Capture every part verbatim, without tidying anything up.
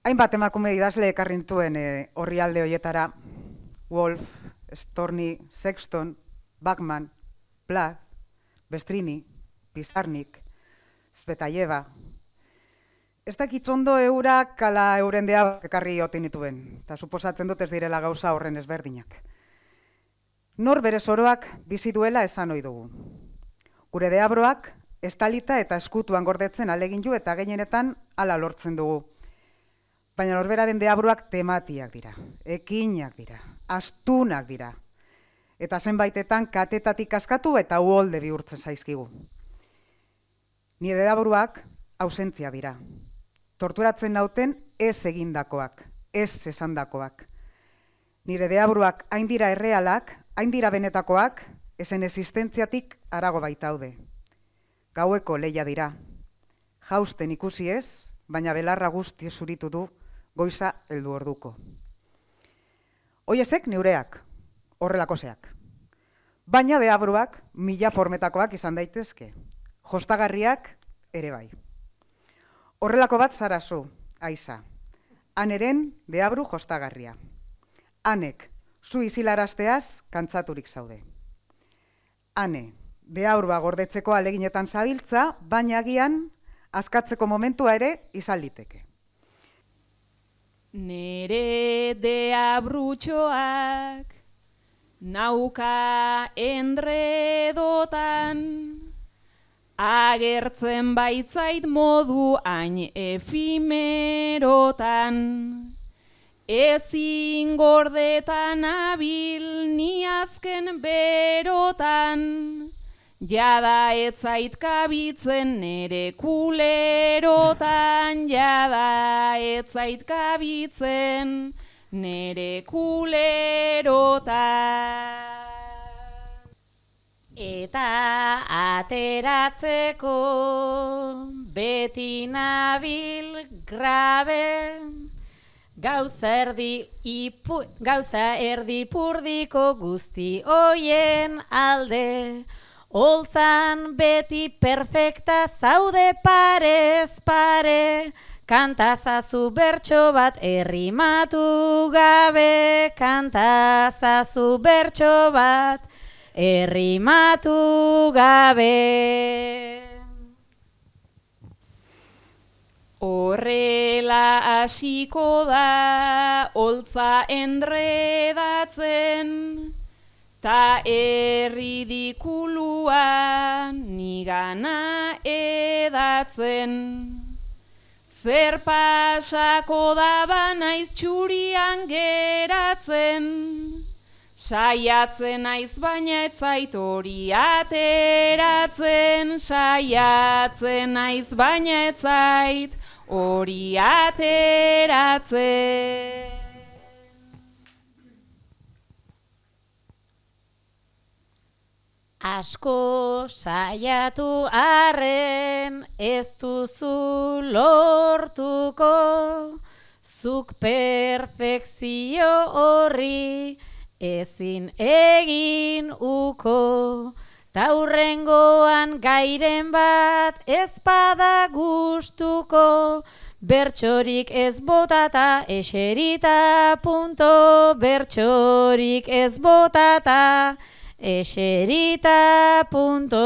Hainbat emakume idazle ekarri nituen orrialde hoietara, Wolf, Storni, Sexton, Bachman, Plath, Bestrini, Pizarnik, Spetayeva. Ez dakitzondo eurak ala euren deabroak ekarri otin nituen, eta suposatzen dut ez direla gauza horren ezberdinak. Nor bere soroak bizi duela esan ohi dugu. Gure deabroak estalita eta eskutuan gordetzen alegin ju eta gehienetan hala lortzen dugu. Baina norberaren deabroak tematiak dira, ekinak dira, astunak dira. Eta zenbaitetan katetatik askatu eta uholde bihurtzen zaizkigu. Nire deabroak ausentzia dira. Torturatzen nauten ez egindakoak, ez esandakoak. Nire deabroak hain dira errealak, hain dira benetakoak, ezen existentziatik harago baitaude. Gaueko leia dira. Jausten ikusi ez, baina belarra guzti zuritu du goiza heldu orduko. Hoiesek neureak, horrelakoseak. Baina deabroak mila formetakoak izan daitezke. Jostagarriak ere bai. Horrelako bat zara zu, Aiza. Aneren deabru jostagarria. Anek, zu izilarazteaz kantzaturik zaude. Ane, deabrua gordetzeko aleginetan zabiltza, baina agian askatzeko momentua ere izan liteke. Nere deabrutxoak nauka endredotan, agertzen baitzait modu hain efimerotan. Ezin gordetan abil ni azken berotan, jada etzait kabitzen nere kulerotan, jada etzait kabitzen nere kulerotan. Eta ateratzeko beti nabil grabe, gauza erdi, ipu, gauza erdi purdiko guzti hoien alde. Holtzan beti perfekta zaude parez pare, kantazazu bertso bat errimatu gabe, kantazazu bertso bat errimatu gabe. Horrela hasiko da holtza endredatzen, ta erridikulua nigana edatzen. Zer pasako da banaiz txurian geratzen, saiatzen naiz baina ez zait hori ateratzen, saiatzen naiz baina ez zait hori ateratzen. Asko saiatu arren ez duzu lortuko, zuk perfekzio horri ezin egin uko. Taurrengoan gairen bat ez bada gustuko, bertsorik ez botata eserita punto, bertsorik ez botata eserita punto.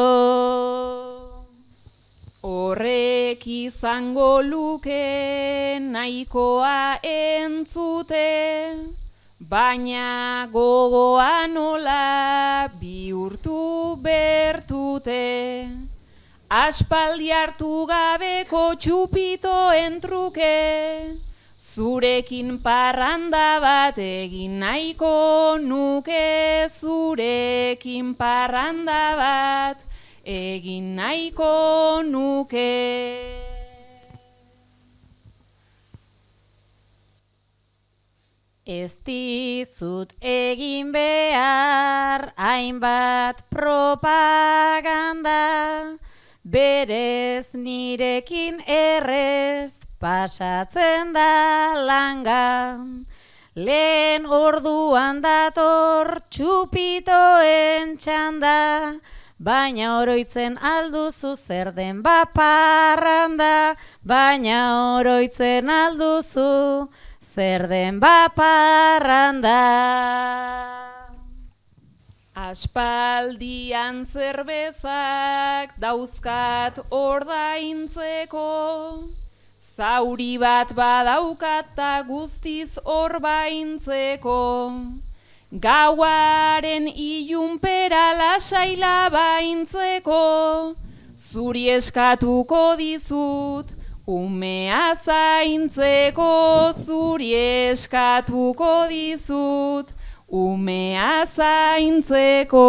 Horrek izango luke nahikoa entzute, baina gogoa nola bihurtu bertute. Aspaldi hartu gabeko txupitoen truke, zurekin parranda bat egin nahiko nuke, zurekin parranda bat egin nahiko nuke. Ez dizut egin behar hainbat propaganda, berez nirekin errez pasatzen da langa. Lehen orduan dator txupitoen txanda, baina oroitzen alduzu zer den baparranda, baina oroitzen alduzu zer den baparranda. Aspaldian zerbezak dauzkat ordaintzeko, zauri bat badaukat ta guztiz orbaintzeko. Gauaren ilunpera lasaila baintzeko, zuri eskatuko dizut umea zaintzeko, zuri eskatuko dizut umea zaintzeko.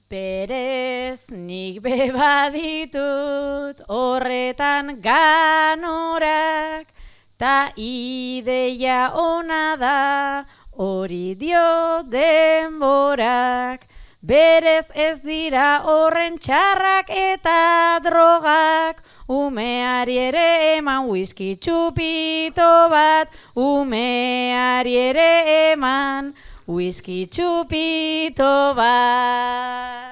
Berez nik beba ditut horretan ganorak, ta ideia ona da hori dio denborak. Berez ez dira horren txarrak eta drogak, umeari ere eman whisky txupito bat, umeari ere eman whisky txupito bat.